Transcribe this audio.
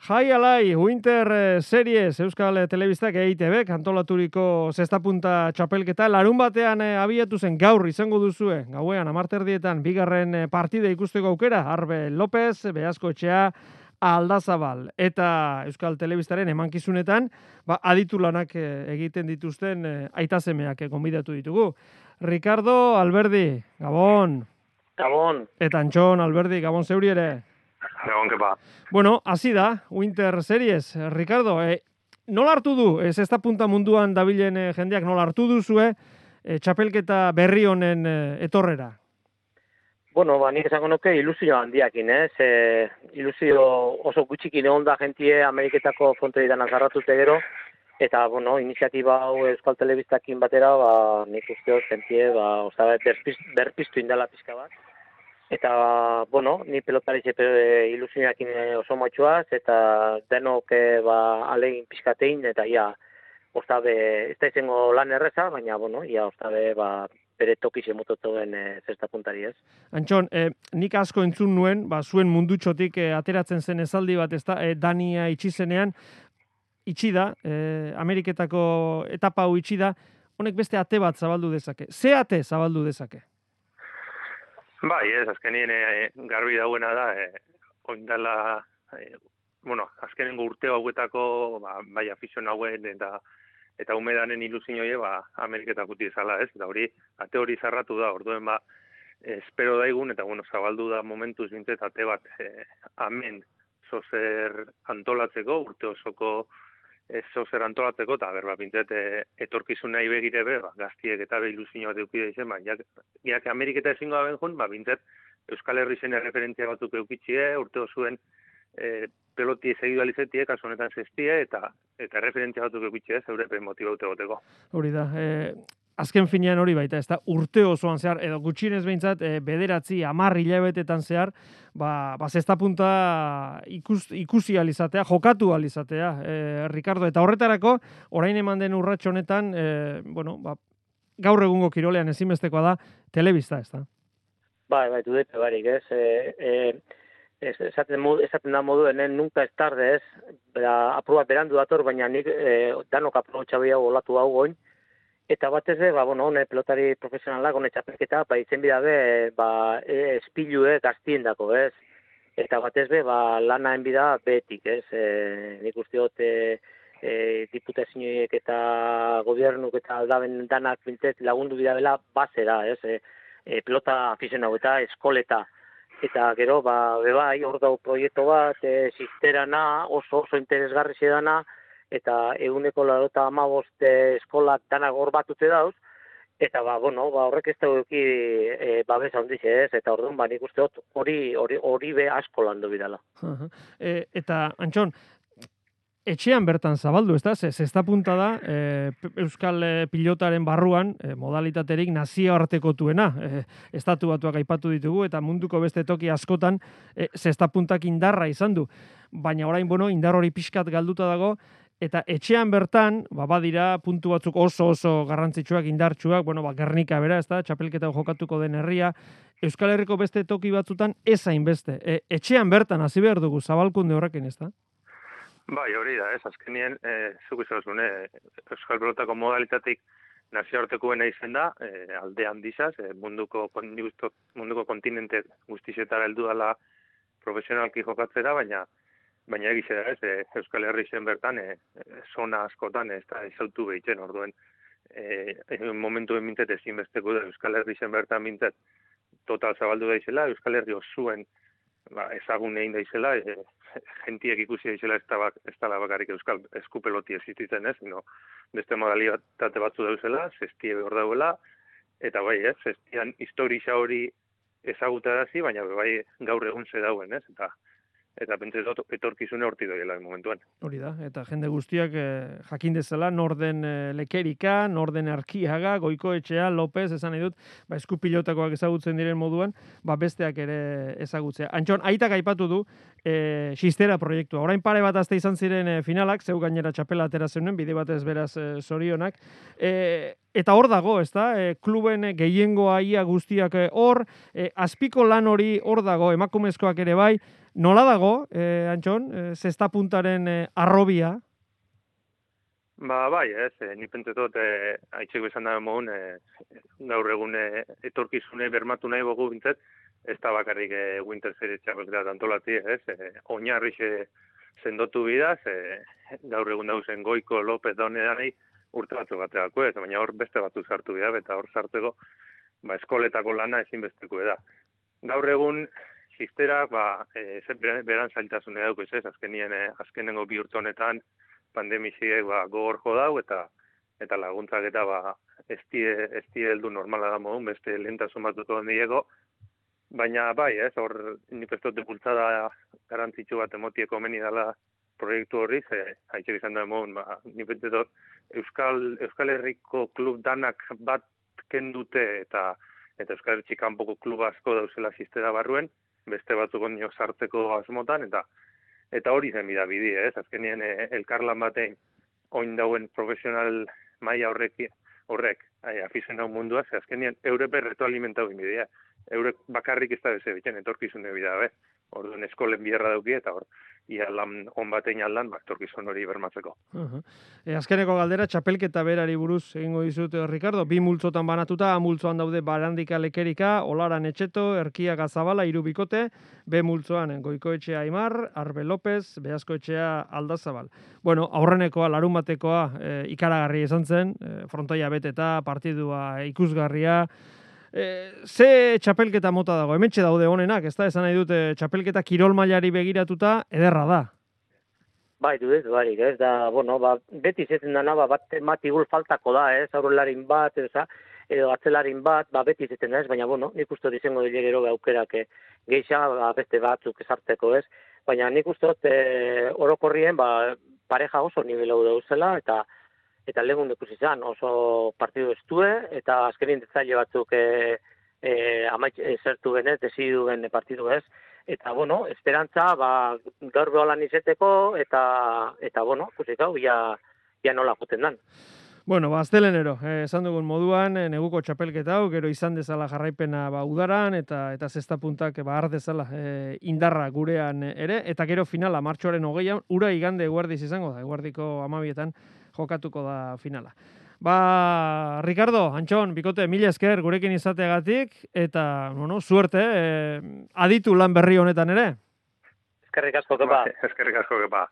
Jai alai, Winter Series, Euskal Telebistak EITB, antolaturiko zestapunta txapelketa, larun batean abiatu zen gaur izango duzue, gauean, amarterdietan, bigarren partide ikusteko aukera, Arbe López, Beazko Etxea, Aldazabal, eta Euskal Telebistaren emankizunetan, aditu lanak egiten dituzten aitasemeak gonbidatu ditugu. Ricardo Alberdi, Gabon. Gabon. Eta Antxon Alberdi, Gabon zeuri ere. Gabon, kepa. Bueno, hasi da, Winter Series. Ricardo, nola hartu du, zesta punta munduan dabilen jendeak, nola hartu duzue txapelketa berri honen etorrera? Bueno, nik esango nuke ilusio handiakin, ilusio oso gutxikin egon da jentie Ameriketako frontoidan azarratute gero, eta, bueno, iniziatiba hau Euskal Telebistakin batera, nik uste jentie, berpiztu indala pizka bat. Eta, bueno, ni pelotarize ilusioakin oso motxuaz, eta denok alegin pizkatein, eta ostabe, ez da izango lan erreza, baina, bueno, ostabe, bere tokize mototuen zesta puntari ez. Antxon, nik asko entzun nuen, zuen mundutxotik ateratzen zen esaldi bat, ezta, Dania itxizenean, itxi da, Ameriketako etapa hau itxi da, honek beste ate bat zabaldu dezake. Ze ate zabaldu dezake? Bai, azkenien garbi dauena da, oindala, azkenengo urte hauetako, bai afizion hauen eta umedanen ilusioie, Ameriketak uti ezala ez, eta ate hori zarratu da, orduen espero daigun, eta zabaldu da momentuz bintzet ate bat amen zozer antolatzeko, urte osoko zozer antolatzeko, eta bintzet etorkizuna ibegire gaztiek eta ilusio bat eukide izen, jak Ameriketa ezingo da benjun, bintzet Euskal Herri zen referentzia batzuk eukitxie, urte osuen peloti segidualizetie, kasu honetan zestie, eta referentzia batzuk eukitxie, zeure motibaute goteko. Hori da, azken finean hori baita, ez da, urte osoan zehar, edo gutxinez behintzat, 9, 10 hilabetetan zehar, zesta punta ikusi alizatea, jokatu alizatea, Ricardo, eta horretarako, orain eman den urratxo honetan, gaur egungo kirolean ezinbestekoa da, telebista, ez da? Bai, dudepe barik, ez, esaten da moduen, nunca ez tarde, ez, aprobat berandu dator, baina nik danok aprobotxabia olatu hau goin, eta batez pelotari profesionalak, txapelketa, izen bidabe, espilue gaztien dako, ez? Eta batez lanaen bida betik, ez? Nik usteot diputazioek eta gobernuk eta aldaben danak bintzet lagundu bidabela bazera, ez? Pelota afizionau eta eskoleta. Eta gero, hor dau proiektu bat, sisterana, oso interesgarri zedana, eta 185 eskolak danak hor batute dauz, eta horrek ez dauki babesa handiz ez, eta orduan nik uste hori be asko landu bidala. Eta, Antxon, etxean bertan zabaldu, ez da? Zesta punta da, Euskal pilotaren barruan, modalitaterik nazioartekotuena, estatu batuak aipatu ditugu, eta munduko beste toki askotan, zesta puntak indarra izan du. Baina orain, indar hori pixkat galduta dago, eta etxean bertan, badira puntu batzuk oso garrantzitsuak, indartsuak, Gernika bera, ez da, txapelketa jokatuko den herria, Euskal Herriko beste toki batzutan ezain beste. Etxean bertan hasi behar dugu zabalkunde horrekin, ez da? Bai, hori da, ez, azkenien, zuk izan Euskal Pelotako modalitatik nazioartekoena izen da, alde handizaz, munduko kontinente guztizetara heldu dela profesionalki jokatzera, baina egize da, ez, Euskal Herri zen bertan, zona askotan, ez da, izautu behitzen, orduen, momentu mintzet ezinbesteko da, Euskal Herri zen bertan mintzet, total zabaldu da izela, Euskal Herri osuen, ezagun egin da izela, jentiek ikusi da izela ez dala bakarrik Euskal eskupeloti existitzen ez, beste modalitate batzu dauzela, zestie behor dauela, eta zestian historia hori ezagutarazi, baina gaur egun ze dauen, ez, eta pentsez etorkizune horti doiela momentuan. Hori da, eta jende guztiak jakin dezala, norden Lekerika, norden Arkiaga, Goikoetxea, López, esan nahi dut, eskupilotakoak ezagutzen diren moduan, besteak ere ezagutzea. Antxon, aitak aipatu du, xistera proiektua. Orain pare bat azte izan ziren finalak, zeu gainera txapela atera zeunen, bide batez beraz zorionak, eta hor dago, ez da, kluben gehiengoa ia guztiak hor, azpiko lan hori hor dago, emakumezkoak ere bai, Nola dago, Antxon, zesta puntaren arrobia? Bai, nik pentsetot, haitxeko izan da mogun, gaur egun etorkizune bermatu nahi bogu bintzat, ez da bakarrik Winter Series txapelketa antolati, oinarri sendotu bidaz, gaur egun dauzen Goiko, López, Daunedanei, urte batzuk bateako ez, baina hor beste batzu sartu bida, eta hor sartzeko, eskoletako lana ezinbesteko da. Gaur egun, sisterak, beran zailtasune dauk ez, azkenengo bi urte honetan, pandemiziek gogor jo dau, eta laguntzak eta ez die heldu normala da modun, beste lehentasun batuko handiego, baina bai, hor nik ez dut bultzada garantzitsu bat emotieko meni dela proiektu horri, haitxek izan da modun, nik ez dut Euskal Herriko klub danak bat kendute eta Euskal Herri kanpoko klub asko dauzela sistera barruen, beste batzuk ondio sartzeko asmotan, eta hori zen bidabidi, azkenien elkarlan batein oin dauen profesional maila horrek afizionau mundua, azkenien eurep retroalimentau inbidea. Eurek bakarrik ez da beze bitzen, etorkizune bida, orduan eskolen biherra dauki, eta hor, ia lan on batein aldan, etorkizun hori bermatzeko. Azkeneko galdera, txapelketa berari buruz egingo dizut, Ricardo, bi multzotan banatuta, multzoan daude Barandika Lekerika, Olaran Etxeto, Erkia Gazabala, hiru bikote, B multzoan Goikoetxea Aimar, Arbe López, Beazkoetxea Aldazabal. Bueno, aurrenekoa, larun batekoa, ikaragarri izan zen, frontoia beteta, partidua ikusgarria, ze txapelketa mota dago, hementxe daude honenak, ez da, esan nahi dute txapelketa kirol mailari begiratuta, ederra da. Bai, ez da, beti izaten dana, bat igul faltako da, aurrelarin bat, edo atzelarin bat, beti izaten da, baina, nik uste dut izango dile gero aukerak geixa, beste batzuk esartzeko, baina nik uste dut orokorrien, pareja oso nivelau dauzela, eta legun dekus izan, oso partidu estue, eta azkenin detzaile batzuk zertu genez, desidu gen partidu ez, eta, esperantza, gaur beholan izeteko, eta kusik hau, ja nola joten dan. Bueno, aztelenero, esan dugun moduan, neguko txapelketa hau, gero izan dezala jarraipena udaran, eta zesta puntak har dezala indarra gurean ere, eta gero finala, martxoaren 20an, ura igande eguerdiz izango da, eguerdiko 12etan jokatuko da finala. Ricardo, Antxon, bikote, mila esker gurekin izateagatik, eta, suerte, aditu lan berri honetan ere. Eskerrik asko, kepa. Eskerrik asko, kepa.